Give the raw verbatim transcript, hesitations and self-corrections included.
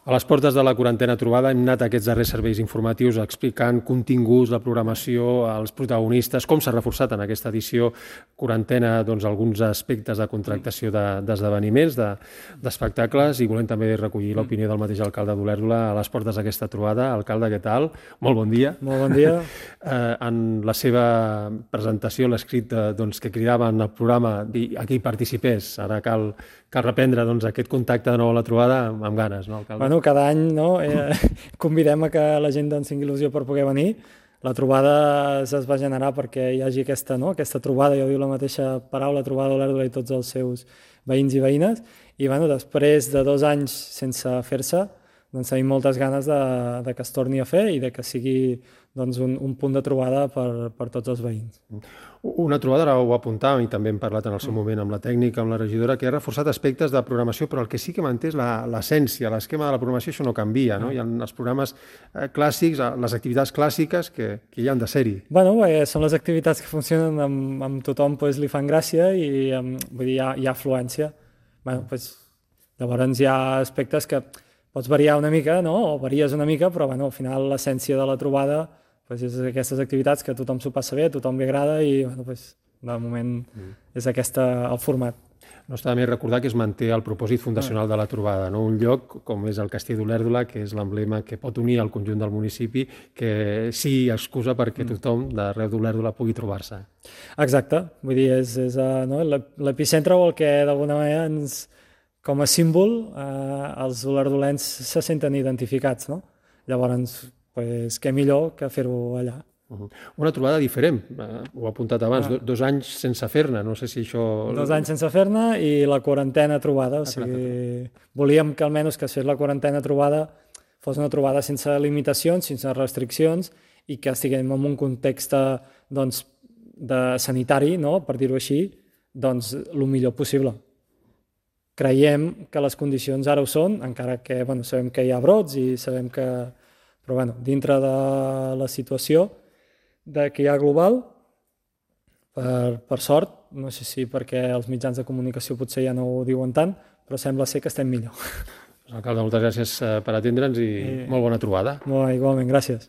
A les portes de la quarantena trobada hem anat a aquests darrers serveis informatius explicant continguts, la programació, els protagonistes, com s'ha reforçat en aquesta edició quarantena doncs, alguns aspectes de contractació d'esdeveniments, de, d'espectacles, i volem també recollir l'opinió del mateix alcalde d'Olèrdola a les portes d'aquesta trobada. Alcalde, què tal? Molt bon dia. Molt bon dia. Eh, en la seva presentació, l'escrit eh, doncs, que cridava en el programa a qui participés, ara cal, cal reprendre doncs, aquest contacte de nou a la trobada amb, amb ganes, no, alcalde? Bueno, cada any no, eh, convidem a que la gent doncs, tingui il·lusió per poder venir. La trobada es va generar perquè hi hagi aquesta, no, aquesta trobada, ja ho diu la mateixa paraula, trobada d'Olèrdola i tots els seus veïns i veïnes. I bueno, després de dos anys sense fer-se, doncs, tenim moltes ganes de, de que es torni a fer i de que sigui doncs, un, un punt de trobada per, per tots els veïns. Una trobada, ara ho apuntàvem i també hem parlat en el seu moment amb la tècnica, amb la regidora, que ha reforçat aspectes de programació, però el que sí que manté és l'essència, l'esquema de la programació, això no canvia, no? Hi ha els programes eh, clàssics, les activitats clàssiques que, que hi han de ser-hi. Bueno, eh, són les activitats que funcionen amb, amb tothom, pues, li fan gràcia i amb, vull dir, hi ha, hi ha afluència. Bueno, pues, llavors hi ha aspectes que pots variar una mica, no? O varies una mica, però bueno, al final l'essència de la trobada pues, és aquestes activitats que a tothom s'ho passa bé, a tothom li agrada i bueno, pues, de moment mm. és aquesta, el format. No està de més recordar que es manté el propòsit fundacional de la trobada, no? Un lloc com és el Castell d'Olèrdola, que és l'emblema que pot unir el conjunt del municipi, que sigui excusa perquè tothom d'arreu d'Olèrdola pugui trobar-se. Exacte, vull dir, és, és no? l'epicentre o el que d'alguna manera ens, com a símbol eh, els olerdolens se senten identificats, no? Llavors, pues, què millor que fer-ho allà. Uh-huh. Una trobada diferent, eh, ho he apuntat abans, ah. dos anys sense fer-ne, no sé si això... Dos anys sense fer-ne i la quarantena trobada, o sigui, volíem que almenys que es fes la quarantena trobada fos una trobada sense limitacions, sense restriccions i que estiguem en un context doncs, de sanitari, no? Per dir-ho així, doncs el millor possible. Creiem que les condicions ara ho són, encara que bueno, sabem que hi ha brots i sabem que... Però bueno, dintre de la situació de que hi ha global, per, per sort, no sé si perquè els mitjans de comunicació potser ja no ho diuen tant, però sembla ser que estem millor. Alcalde, moltes gràcies per atendre'ns i, I... molt bona trobada. Molt, igualment, gràcies.